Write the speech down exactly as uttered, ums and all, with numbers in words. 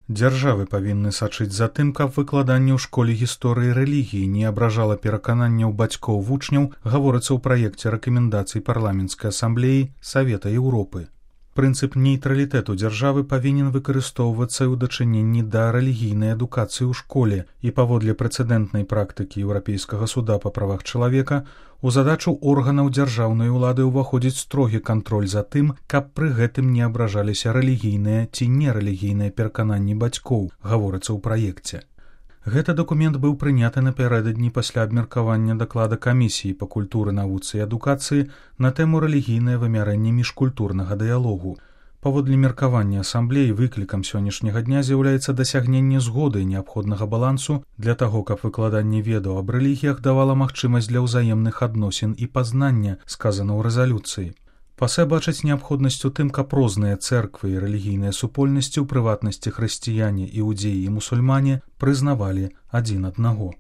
Дзяржавы павінны сачыць за тым, каб выкладанне ў школе гісторыі рэлігіі не абражала перакананняў бацькоў вучняў, гаворыцца ў праекце рэкамендацый парламенцкай асамблеі Савета Еўропы. Прынцып нейтралітэту дзяржавы павінен выкарыстоўвацца і ў дачыненні да рэлігійнай адукацыі ў школе, і паводле прэцэдэнтнай практыкі Еўрапейскага суда па правах чалавека у задачу органаў дзяржаўнай улады ўваходзіць строгі кантроль за тым, каб пры гэтым не абражаліся рэлігійныя ці нерэлігійныя перакананні бацькоў, гаворыцца ў праекце. Гэты дакумент быў прыняты напярэдадні пасля абмеркавання даклада камісіі па культуры, навуцы і адукацыі на тэму рэлігійнае вымярэнне міжкультурнага дыялогу. Паводле меркавання асамблеі выклікам сённяшняга дня з'яўляецца дасягненне згоды і неабходнага балансу для таго, каб выкладанне ведаў аб рэлігіях давала магчымасць для ўзаемных адносін і пазнання, сказана ў рэзалюцыі. Пасэ бачаць неабходнасць у тым, каб розныя цэрквы і рэлігійныя супольнасці, у прыватнасці хрысціяне, іудзеі і мусульмане, прызнавалі адзін аднаго.